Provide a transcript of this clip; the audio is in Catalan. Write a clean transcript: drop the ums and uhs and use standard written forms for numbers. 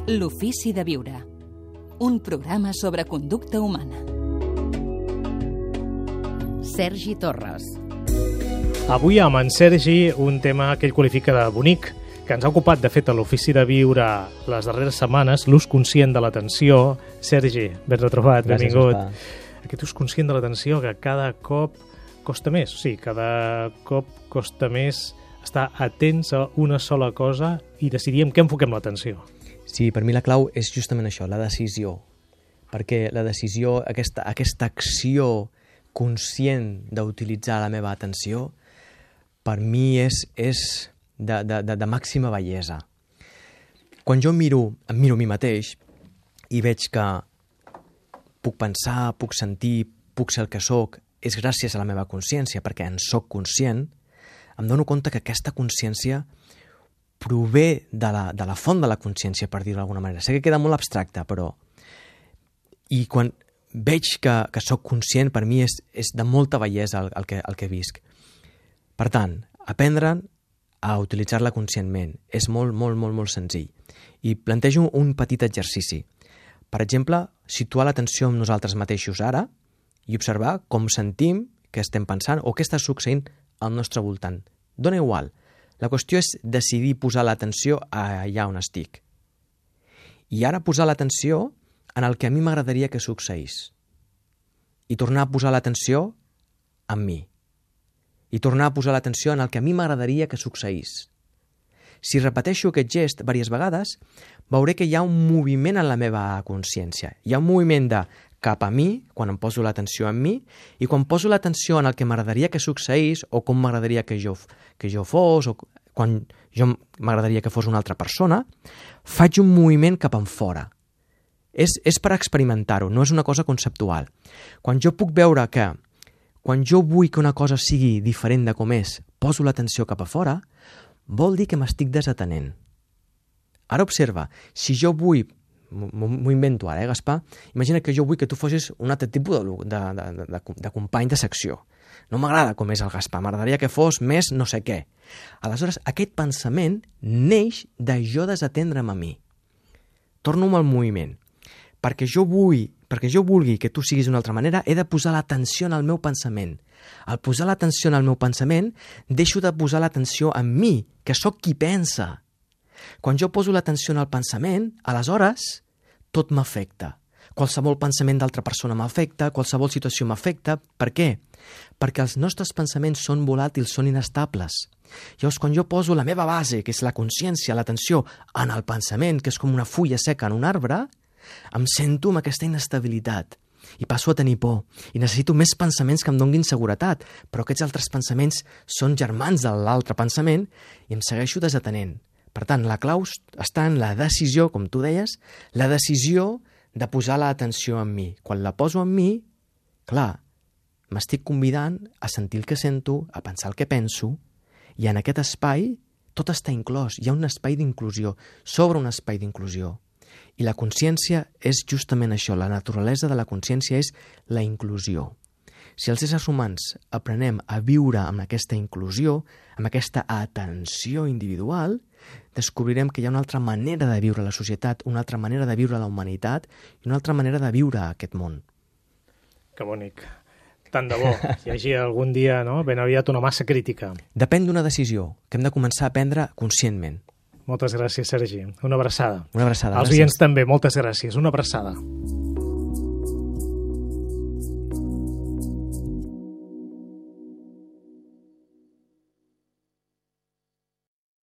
L'ofici de viure. Un programa sobre conducta humana. Sergi Torres. Avui amb en Sergi un tema que ell qualifica de bonic, que ens ha ocupat, de fet, a l'Ofici de Viure les darreres setmanes, l'ús conscient de l'atenció. Sergi, ben retrobat, Gràcies, benvingut. Ospa. Aquest ús conscient de l'atenció que cada cop costa més. Sí, cada cop costa més estar atents a una sola cosa i decidir en què enfoquem l'atenció. Sí, per mi la clau és justament això, la decisió. Perquè la decisió, aquesta acció conscient d'utilitzar la meva atenció, per mi és de màxima bellesa. Quan jo em miro a mi mateix i veig que puc pensar, puc sentir, puc ser el que sóc, és gràcies a la meva consciència, perquè en sóc conscient, em dono compte que aquesta consciència prové de la font de la consciència, per dir-ho d'alguna manera. Sé que queda molt abstracte, però... I quan veig que sóc conscient, per mi és de molta bellesa el que visc. Per tant, aprendre a utilitzar-la conscientment és molt, molt, molt, molt senzill. I plantejo un petit exercici. Per exemple, situar l'atenció en nosaltres mateixos ara i observar com sentim, què estem pensant o què està succeint al nostre voltant. Dóna igual. La qüestió és decidir posar l'atenció allà on estic. I ara posar l'atenció en el que a mi m'agradaria que succeís. I tornar a posar l'atenció en mi. I tornar a posar l'atenció en el que a mi m'agradaria que succeís. Si repeteixo aquest gest diverses vegades, veuré que hi ha un moviment en la meva consciència. Hi ha un moviment de cap a mi, quan em poso l'atenció en mi, i quan poso l'atenció en el que m'agradaria que succeís, o com m'agradaria que jo fos, o quan jo m'agradaria que fos una altra persona, faig un moviment cap enfora. És per experimentar-ho, no és una cosa conceptual. Quan jo puc veure que, quan jo vull que una cosa sigui diferent de com és, poso l'atenció cap a fora, vol dir que m'estic desatenent. Ara observa, si jo vull, m'ho invento ara, Gaspar? Imagina que jo vull que tu fossis un altre tipus de company de secció. No m'agrada com és el Gaspar, m'agradaria que fos més no sé què. Aleshores, aquest pensament neix de jo desatendre'm a mi. Torno al moviment. Perquè jo vulgui que tu siguis d'una altra manera, he de posar l'atenció en el meu pensament. Al posar l'atenció en el meu pensament, deixo de posar l'atenció en mi, que sóc qui pensa. Quan jo poso l'atenció en el pensament, aleshores, tot m'afecta. Qualsevol pensament d'altra persona m'afecta, qualsevol situació m'afecta. Per què? Perquè els nostres pensaments són volàtils, són inestables. Llavors, quan jo poso la meva base, que és la consciència, l'atenció, en el pensament, que és com una fulla seca en un arbre, em sento amb aquesta inestabilitat i passo a tenir por i necessito més pensaments que em donguin seguretat, però aquests altres pensaments són germans de l'altre pensament i em segueixo desatenent. Per tant, la clau està en la decisió, com tu deies, la decisió de posar l'atenció en mi. Quan la poso en mi, clar, m'estic convidant a sentir el que sento, a pensar el que penso, i en aquest espai tot està inclòs. Hi ha un espai d'inclusió, sobre un espai d'inclusió. I la consciència és justament això, la naturalesa de la consciència és la inclusió. Si els éssers humans aprenem a viure amb aquesta inclusió, amb aquesta atenció individual, descobrirem que hi ha una altra manera de viure la societat, una altra manera de viure la humanitat i una altra manera de viure aquest món. Que bonic. Tant de bo. Hi hagi algun dia, no?, ben aviat una massa crítica. Depèn d'una decisió que hem de començar a prendre conscientment. Moltes gràcies, Sergi. Una abraçada. Una abraçada. Als oients també, moltes gràcies. Una abraçada.